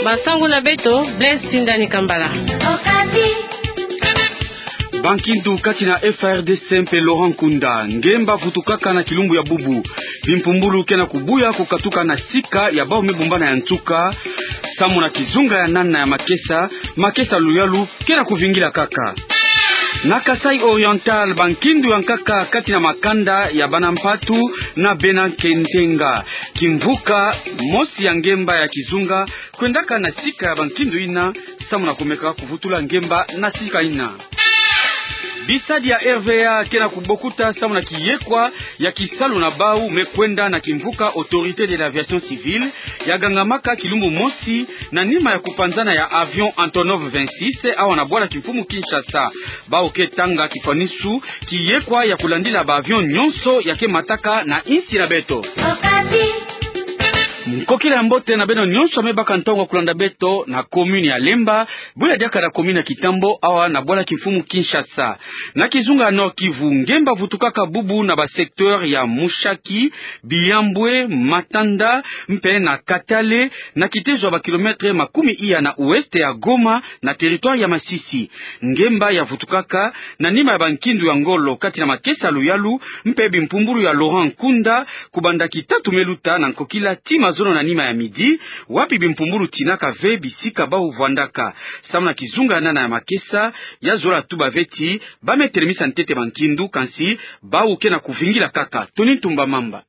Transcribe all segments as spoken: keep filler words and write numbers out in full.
Masangu na beto, Blaise Sindani Kambala. Bankindu kati na F A R D C mpe Laurent Nkunda. Ngemba vutukaka na kilumbu ya bubu. Bimpumbulu ke na kubuya kukatuka na sika ya bau me bumbana ya nsuka. Samu na kizunga ya nana ya makesa, makesa luyalu ke na kuvingila kaka. Na Kasaï Oriental, bankindu ya nkaka kati na makanda ya bana mpatu na bena kentenga. Kimvuka mosi ya ngemba ya kizunga kwendaka na sika ya bankindu ina, samu na kumeka kuvutula ngemba na sika ina. Bisadi ya R V A ke na kubokuta samu na kiyekwa ya kisalu na bau me kwenda na kimvuka Autorité de l'Aviation Civile, ya gangamaka kilumbu mosi na nima ya kupanzana ya avion Antonov vingt-six awa na bwala kimfumu Kinshasa. Bau ke tanga kifwanisu kiyekwa ya kulandila ba avion nyonso ya ke mataka na insi na beto. Nkokila ya mbote na beno nyonso me baka ntongo ya kulanda beto na commune ya Lemba, bula diaka na commune ya Kitambo awa na bwala kimfumu Kinshasa. Na kizunga ya Nord-Kivu, ngemba vutukaka bubu na ba secteur ya Mushaki, Bihambwe, Matanda, mpe na Katale, na kitezo ya ba kilomètre makumi iya na ouest ya Goma, na territoire ya Masisi. Ngemba ya vutukaka na nima ya bankindu ya ngolo kati na makesa luyalu mpe bimpumbulu ya Laurent Nkunda, kubanda kitatu me luta na nkokila tii mazono na nima ya midi, wapi bimpumbulu tinaka ve bisika bau vwandaka. Samu na kizunga ya nana ya makesa, ya zola tuba ve ti ba me telemisa ntete bankindu, kansi bau ke na kuvingila kaka. Tony Ntumba Mamba.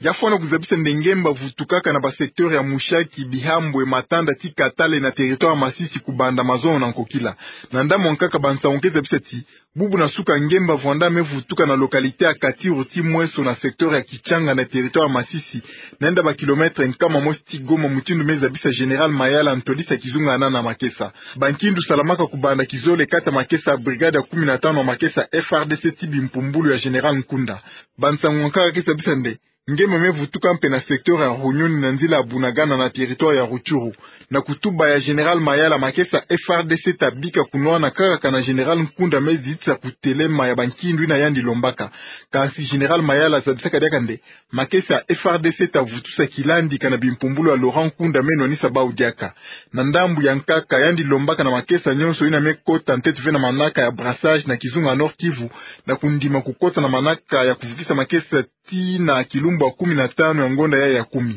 Ya fwana kuzabisa nde ngemba vutukaka na ba secteur ya Mushaki, Bihambwe, Matanda tii Katale na territoire ya Masisi kubanda mazono na nkokila. Na ndambu ya nkaka, bansangu ke zabisa ti bubu na suka ngemba vwanda me vutuka na localité ya Katiru tii Mweso na secteur ya Kitshanga na territoire ya Masisi, na yenda ba kilomètre nkama mosi tii Goma, mutindu me zabisa Général Mayala, ntwadisi ya kizunga ya nana ya makesa. Bankindu salamaka kubanda kizole kati ya makesa ya brigade ya kumi na tano ya makesa F A R D C tii bimpumbulu ya Général Nkunda. Bansangu ya nkaka ke zabisa nde ngemba me vutuka mpe na secteur ya Runyoni na nzila ya Bunagana na territoire ya Rutshuru. Na kutuba ya Général Mayala, makesa F A R D C ta bika kunwana kaka na Général Nkunda me zitisa kutelema ya bankindu ina yandi lombaka. Kansi Général Mayala zabisaka diaka nde makesa F A R D C ta vutusa kilandika na bimpumbulu ya Laurent Nkunda me nwanisa bau diaka. Na ndambu ya nkaka, yandi lombaka na makesa nyonso ina me kota ntete ve na manaka ya brassage na kizunga ya Nord-Kivu, na kundima kukota na manaka ya kuvukisa makesa tii na kilumbu ya kumi na tano ya ngonda ya ya kumi.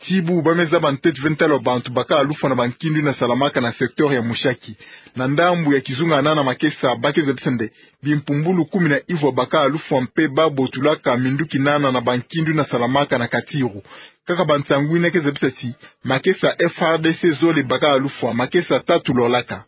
Tii bubu ba me zaba ntete ve ntalu ya bantu bakala lufwa na bankindu ina salamaka na secteur ya Mushaki. Na ndambu ya kizunga ya nana ya makesa, ba ke zabisa nde bimpumbulu kumi na ivwa bakala lufwa mpe ba botulaka minduki nana na bankindu ina salamaka na Katiru. Kaka bansangu ina ke zabisa ti makesa F A R D C zole bakala lufwa, makesa tatu lolaka.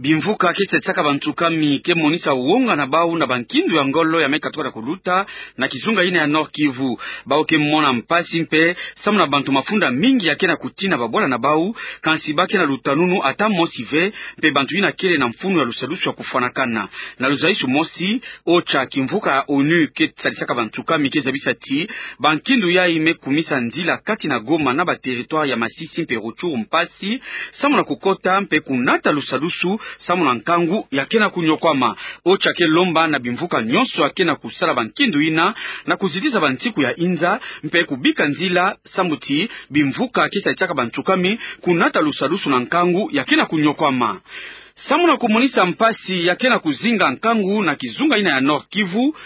Bimvuka ke tsatsaka bantu kami ke monisa wonga na bau na bankindu ya ngolo ya me katuka na kuluta na kizunga ina ya Nord-Kivu. Bau ke mona mpasi mpe samu na bantu mafunda mingi ya ke na kutina babwala na bau, kansi ba ke na lutanunu ata mosi ve, mpe bantu ina kele na mfunu ya lusadusu ya kufwanakana. Na luzayisu mosi, OCHA, kimvuka ya ONU ke sadisaka bantu kami, ke zabisa ti bankindu yayi me kumisa nzila kati na Goma na ba territoire ya Masisi mpe Rutshuru mpasi, samu na kukota mpe kunata lusadusu, samu na nkangu ya ke na kunyokwama. OCHA ke lomba na bimvuka nyonso ya ke na kusala bankindu ina na kuzitisa bansiku ya inza, mpe kubika nzila, samu ti bimvuka ke sadisaka bantu kami kunata lusadusu na nkangu ya ke na kunyokwama. Samu na kumonisa mpasi ya ke na kuzinga nkangu na kizunga ina ya Nord-Kivu,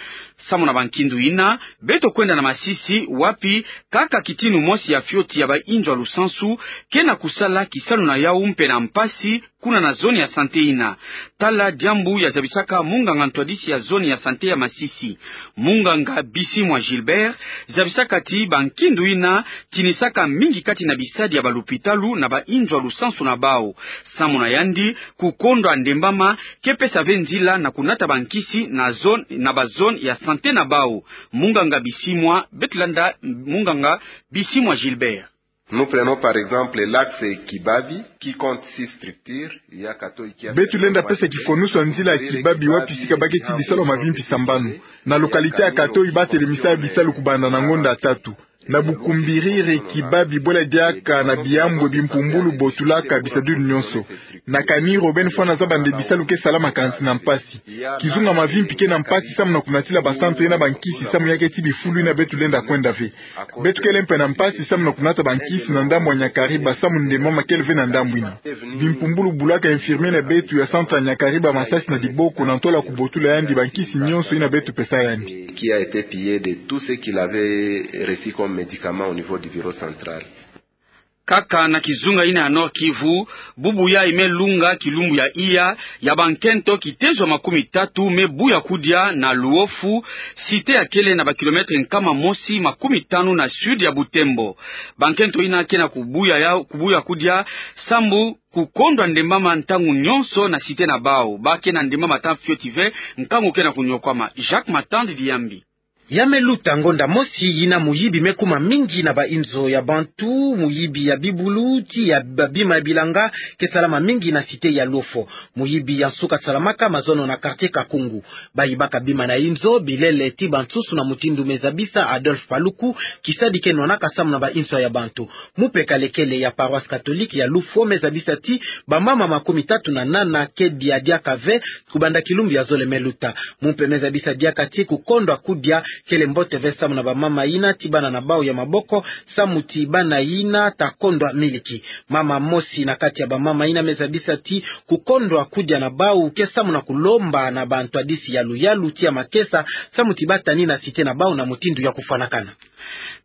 samu na bankindu ina, beto kwenda na Masisi, wapi kaka kitinu mosi ya fioti ya ba inzo ya lusansu ke na kusala kisalu na yau mpe na mpasi kuna na zone ya santé ina. Tala diambu ya zabisaka munganga ntwadisi ya zone ya santé ya Masisi. Munganga Bisimwa Gilbert zabisaka ti bankindu ina tinisaka mingi kati na bisadi ya balupitalu na ba inzo ya lusansu na bau. Samu na yandi, kukondwa ndembama ke pesa ve nzila na kunata bankisi na zone, na ba zone ya santé na bau. Munganga Bisimwa, beto landa munganga Bisimwa Gilbert. Nous prenons par exemple l'axe Kibabi, qui compte six structures. Il y a Katoi qui a... Beto lenda pesa kifwanusu ya nzila ya Kibabi, wapi sika ba ke tii bisalu ya mavimpi sambanu. Na localité ya Katoi ba telemisa bisalu kubanda na ngonda ya tatu. Na bukumbiriri kiba bibwela diaka na biyambwe bimpumbulu botulaka bisadulu nyonso. Na kani Robin Fwana Zabande bisalu ke salama kansi na mpasi. Kizunga mavimpi ke na mpasi samu na kunatila basantu ye na bankisi samu ya ke ti bifulu yina beto lenda kwenda ve. Beto kele mpe na mpasi samu na kunata bankisi na ndambu ya Nyakariba samu nde mama kele ve na ndambu yina. Bimpumbulu bulaka infirmier na beto ya centre ya Nyakariba masasi na diboko na ntola kubotula yandi bankisi nyonso yina beto pesa yandi. Qui a été pillé de tout ce qu'il avait reçu comme médicament au niveau du bureau central. Kaka na kizunga yina ya Nord-Kivu, bubu yayi me lunga kilumbu ya iya, ya bankento kitezo makumi tatu me buya kudia na Luofu, cité ya kele na ba kilomètre nkama mosi makumi tanu na sud ya Butembo. Bankento yina ke na kubuya ya, kubuya kudia, sambu kukondwa ndembama ntangu nyonso na cité na bawu. Ba ke na ndembama ta fioti ve, nkangu ke na kunyokwama. Jacques Matandi Diyambi. Ya me luta ngonda mosi yina muyibi me kuma mingi na ba inzo ya bantu, muyibi ya bibulu, ti ya ba bima ya bilanga, ke salama mingi na cité ya Luofu. Muyibi ya nsuka salamaka mazono na quartier Kakungu. Ba yibaka bima na inzo, bilele ti bansusu na mutindu me zabisa Adolphe Paluku, kisadi ke nwanaka samu na ba inzo ya bantu. Mupeka lekele ya paroisse catholique ya Luofu me zabisa ti bamama makumi tatu na nana ke dia diaka ve, kubanda kilumbu ya zole me luta. Mumpe me zabisa diaka ti kukondwa kudia kele mbote ve samu na bamama yina ti bana na bawu ya maboko, samu ti bana yina ta kondwa miliki. Mama mosi na kati ya bamama yina me zabisa ti kukondwa kudia na bawu ke samu na kulomba na bantwadisi ya luyalu ti ya makesa, samu ti ba tani na cité na bawu na mutindu ya kufwanakana.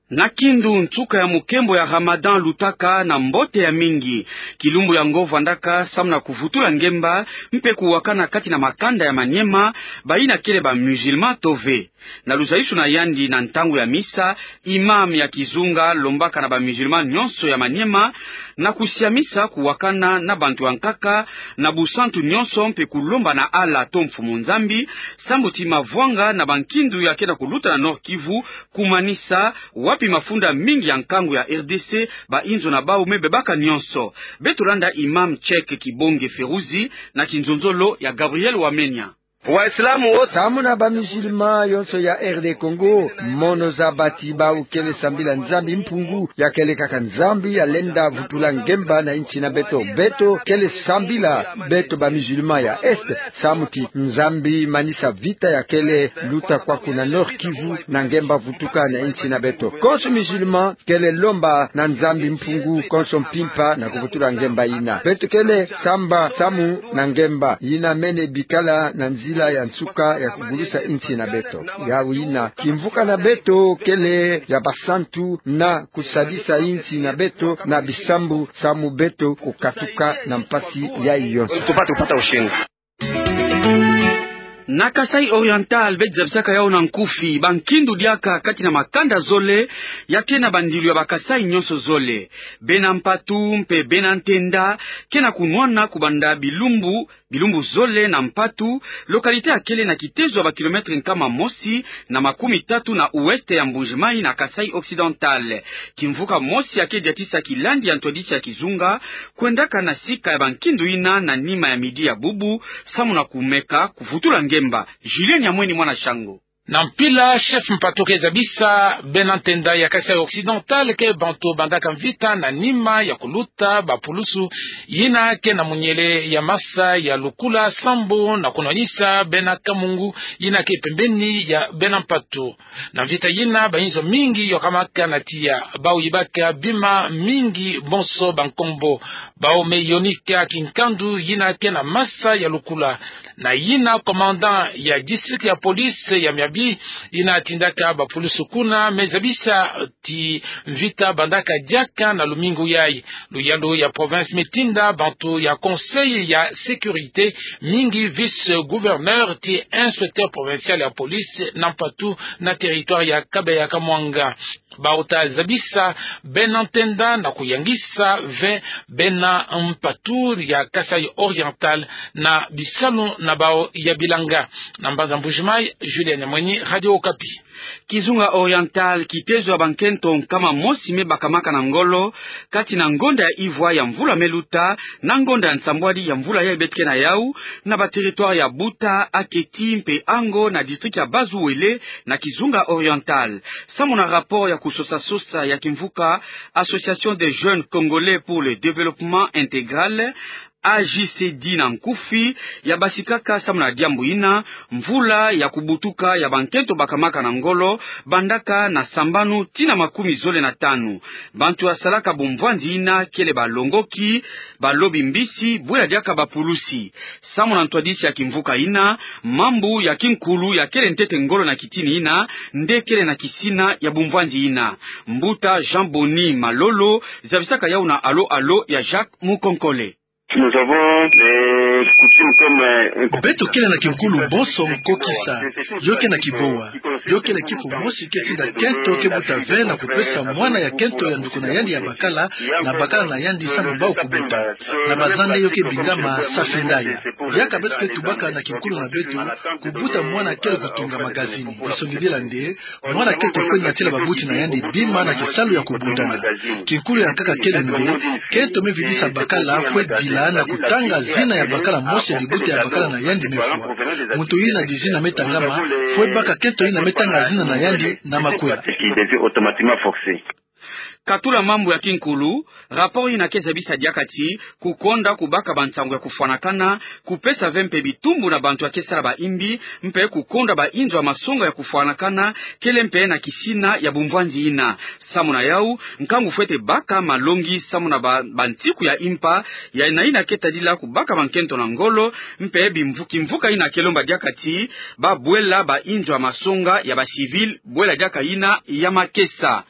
Na Kindu, nsuka ya mukembo ya Ramadan lutaka na mbote ya mingi. Kilumbu yango vandaka samu na kuvutula ngemba, mpe kuwakana kati na makanda ya Maniema, bayina kele ba musulmans to ve. Na luzayisuna yandi na ntangu ya misa, imam ya kizunga lombaka na ba musulmans nyonso ya Maniema na kusiamisa kuwakana na bantu ya nkaka na busantu nyonso mpe kulomba na Allah to Mfumu Nzambi, sambu ti mavwanga na bankindu ya ke na kuluta na Nord-Kivu kumanisa, wapi mafunda mingi ya nkangu ya R D C, ba inzo na bawu me bebaka nyonso. Beto landa imam Cheikh Kibonge Feruzi na kinzonzolo ya Gabriel Wamenya. Waislamu wo samu na ba musulmans yonso ya R D Congo, mono zaba ti bawu kele sambila Nzambi Mpungu, ya kele kaka Nzambi ya lenda vutula ngemba na insi na beto. Beto kele sambila beto ba musulmans ya Est, samu ti Nzambi manisa vita ya kele luta kwaku na Nord-Kivu na ngemba vutuka na insi na beto. Konso musulman kele lomba na Nzambi Mpungu konso mpimpa na kuvutula ngemba yina. Beto kele samba samu na ngemba yina mene bikala na nzila ya nsuka ya kugulusa insi na beto. Yawu yina kimvuka na beto kele ya basantu na kusadisa insi na beto na bisambu samu beto kukatuka na mpasi yayi yonso. Tupate kupata ushindi. Na Kasaï Oriental, beto zabisaka yawu na nkufi, bankindu diaka kati na makanda zole ya ke na bandilu ya ba Kasaï nyonso zole. Bena Mpatu mpe Bena Ntenda ke na kunwana kubanda bilumbu, bilumbu zole na Mpatu, localité ya kele na kitezo ya ba kilomètre nkama mosi na makumi tatu na ouest ya Mbuji-Mayi na Kasaï Occidental. Kimvuka mosi ya ke diatisa kilandi ya ntwadisi ya kizunga kwendaka na sika ya bankindu yina na nima ya midi ya bubu, samu na kumeka kuvutula ngemba. Julien Nyamweni, mwana Shango. Na mpila, chef Mpatu ke zabisa Bena Ntenda ya Kasaï Occidental ke bantu bandaka mvita na nima ya kuluta bapulusu yina ke na munyele ya masa ya Lukula sambu na kunwanisa Bena Kamungu yina ke pembeni ya Bena Mpatu. Na mvita yina, ba inzo mingi yokamaka na tiya, bawu yibaka bima mingi bonso ba nkombo. Bawu me yonika kinkandu yina ke na masa ya Lukula. Na yina commandant ya district ya police ya Miabi, yina tindaka bapulusu kuna, me zabisa ti mvita bandaka diaka na lumingu yayi. Luyalu ya province me tinda bantu ya Conseil ya sécurité, mingi vice-gouverneur ti inspecteur provincial ya police na Mpatu na territoire ya Kabeya-Kamwanga. Bawu ta zabisa Bena Ntenda na kuyangisa ve Bena Mpatu ya Kasaï Oriental na bisalu na bawu ya bilanga. Na mbanza Mbuji-Mayi, Julien Nyamweni, Radio Okapi. Kizunga Oriental, kitezo ya bankento nkama mosi me bakamaka na ngolo, kati na ngonda ya ivwa ya mvula me luta, na ngonda ya nsambwadi ya mvula yayi beto ke na yawu, na ba territoire ya Buta, Aketi mpe Ango na district ya Bas-Uele, na Kizunga Oriental. Samu na rapport ya Sosa-sosa ya kimvuka Association des Jeunes Congolais pour le Développement Intégral, A J C D na nkufi, ya basikaka samu na diambu ina, mvula ya kubutuka ya bankento bakamaka na ngolo, bandaka na sambanu tii na makumi zole na tanu. Bantu ya salaka bumvwanzi ina kele balongoki, balobi mbisi, bwela diaka bapulusi. Samu na ntwadisi ya kimvuka ina, mambu ya kinkulu ya kele ntete ngolo na kitini ina, nde kele na kisina ya bumvwanzi ina. Mbuta Jean Boni Malolo zabisaka yau na Allô Allô ya Jacques Mukonkole. Nous avons les coutumes comme, euh, un... Beto kele na kinkulu bonso nkokisa, yo ke na kibowa. Yo kele kifo mosi ke tinda kento ke buta ve na kupesa mwana ya kento ya nduku na yandi ya bakala, na bakala na yandi sambu bau kubuta. Na bazande yo ke bingama safi ndaya. Diaka beto ke tubaka na kinkulu na beto, kubuta mwana kele kutunga magazini. Disongidila nde, mwana kento fwe natila babuti na yandi bima na kisalu ya kubundana. Kinkulu ya nkaka kele nde, kento me vidisa bakala fwe dila na kutanga zina ya bakala mosi, dibuta ya bakala na yandi me fwa. Muntu ina di zina me tangama, fwe baka kento ina me tanga zina na yandi na makwela. Katula mambu ya kinkulu, rapport ina ke zabisa diaka ti, kukonda kubaka bansangu ya kufwanakana, kupesa ve mpe bitumbu na bantu ya ke sala baimbi, mpe kukonda bainzo ya masonga ya kufwanakana, kele mpe na kisina ya bumvwanzi ina. Samu na yau, nkangu fwete baka malongi samu na ba, bantiku ya impa, ya na ina ke tadila kubaka bankento na ngolo, mpe bimvu-, kimvuka ina ke lomba diaka ti, babwela bainzo ya masonga ya ba civil, bwela diaka ina ya makesa.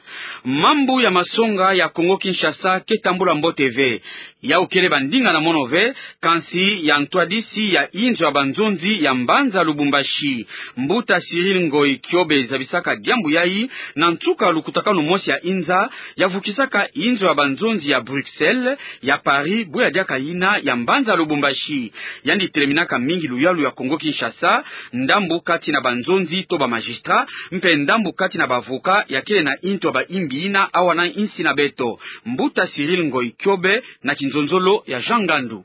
Mambu ya masonga ya Congo Kinshasa ke tambula mbote ve. Yau kele ba ndinga na mono ve, kansi ya ntwadisi ya inzo ya banzonzi ya mbanza Lubumbashi. Mbuta Cyril Ngoy Kiobe zabisaka diambu yai, na nsuka lukutakanu mosi ya inza, ya vukisaka inzo ya banzonzi ya Bruxelles, ya Paris, bwela diaka ina ya mbanza Lubumbashi. Yandi teleminaka mingi luyalu ya Congo Kinshasa, ndambu kati na banzonzi to ba magistrat, mpe ndambu kati na ba avocat ya kele na intu ya baimbi ina awa na insi na beto. Mbuta Cyril Ngoy Kiobe na kinzonzolo ya Jean Ngandu.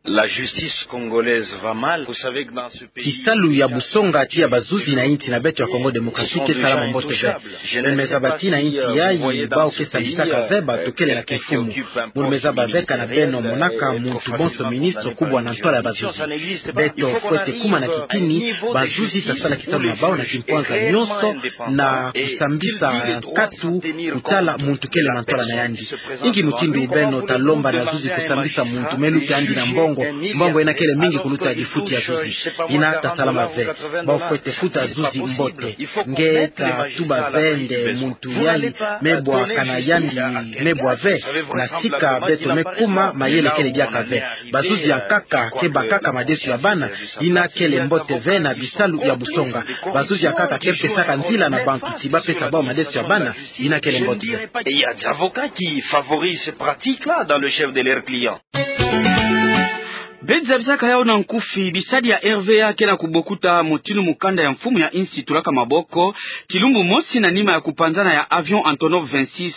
La justice congolaise va mal. Vous savez que dans ce pays, kisalu ya busonga ti ya bazuzi na insi na beto ya Congo Démocratique ke salama mbote ve. Beno me zaba ti na insi yai, bau ke sambisaka ve bato kele na kimfumu. Beno me zaba ve kana beno monaka muntu bonso ministre kubwa na ntwala ya bazuzi. Beto fwete kuma na kitini, bazuzi ta sala kisalu na bau na kimpwanza nyonso, na kusambisa nkatu kutala muntu kele na ntwala na yandi. Inki mutindu beno ta lomba na zuzi kusambisa muntu me luta yandi na mbongo, mbongo ina kele mingi kuluta difuti ya zuzi? Ina ta salama ve. Bau fwete futa zuzi mbote. Nge ta tuba ve nde muntu yai me bwaka na yandi me bwa ve, na sika beto me kuma mayele kele diaka ve. Bazuzi ya nkaka ke bakaka madesu ya bana, ina kele mbote ve na bisalu ya busonga. Bazuzi ya nkaka ke pesaka nzila na bantu ti ba pesa bau madesu ya bana, ina kele mbote ve. Et il y a des avocats qui favorisent ces pratiques-là dans le chef de leurs clients. Beto zabisaka yau na nkufi, bisadi ya R V A ke na kubokuta mutindu mukanda ya mfumu ya insi tulaka maboko, kilumbu mosi na nima ya kupanzana ya avion Antonov vingt-six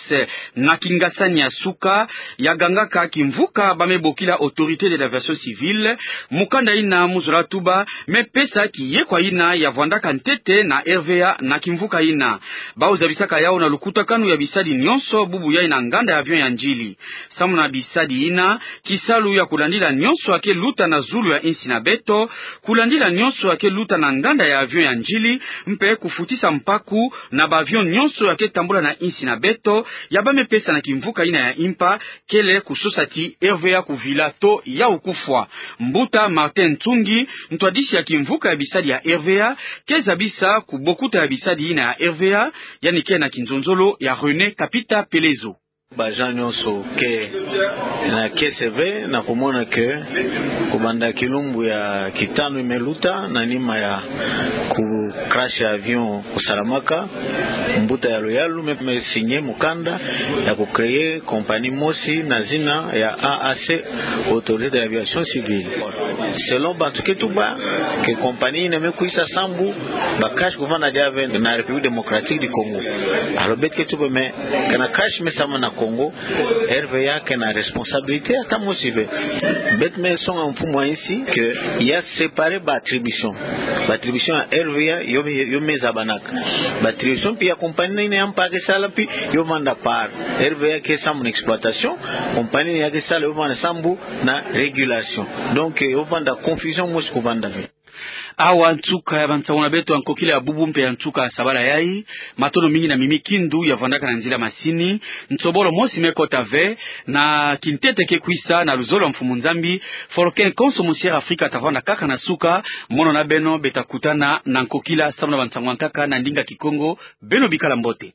na kingasani ya suka, ya gangaka kimvuka ba me bokila Autorité de l'Aviation Civile. Mukanda ina mu zola tuba me pesa kiyekwa ina ya vwandaka ntete na R V A na kimvuka ina. Bau zabisaka yau na lukutakanu ya bisadi nyonso bubu yai na nganda ya avion ya ndjili. Samu na bisadi ina, kisalu ya kulandila nyonso ya ke luta na zulu ya insi na beto, kulandila nyonso ya ke luta na nganda ya avion ya ndjili, mpe kufutisa mpaku na ba avion nyonso ya ke tambula na insi na beto, ya ba me pesa na kimvuka ina ya impa, kele kusosa ti R V A kuvila to yau kufwa. Mbuta Martin Nsungi, ntwadisi ya kimvuka ya bisadi ya R V A, ke zabisa kubokuta ya bisadi ina ya R V A, yandi ke na kinzonzolo ya René Kapita Pelezo. Ba agents nyonso ke na kiese ve na kumona que kubanda kilumbu ya kitanu i me luta na nima ya ku crash ya avion kusalamaka, mbuta ya luyalu me, me signer mukanda ya ku créer compagnie mosi na zina ya A A C, Autorité de l'Aviation Civile. Selon bantu ke tuba que compagnie ina me kwisa sambu ba crash kuvanda diaka ve na République Démocratique du Congo. Alors beto ke tuba mais kana crash me sambana Kongo, R V A ke na responsabilité ata mosi ve. Beto me songa mfumu a insi ke ya séparer ba attribution. Ba attribution ya R V A yo, yo me zabanaka. Ba attribution mpe ya compagnie nini ya mpa ke sala mpe yo vanda part. R V A ke sambu na exploitation, compagnie nini ya ke sala yo vanda sambu na régulation. Donc, eh, yo vanda confusion mosi kuvanda ve. Awa nsuka ya bansangu na beto ya nkokila ya bubu mpe ya nsuka ya sabala yayi. Matondo mingi na Mimi Kindu ya vandaka na nzila masini. Nsobolo mosi me kota ve na kintete ke kwisa na luzolo ya Mfumu Nzambi. Foloken konso musiere Afrika ta vanda kaka na suka. Mono na beno beta kutana na nkokila samu na bansangu ya nkaka na ndinga Kikongo. Beno bikala mbote.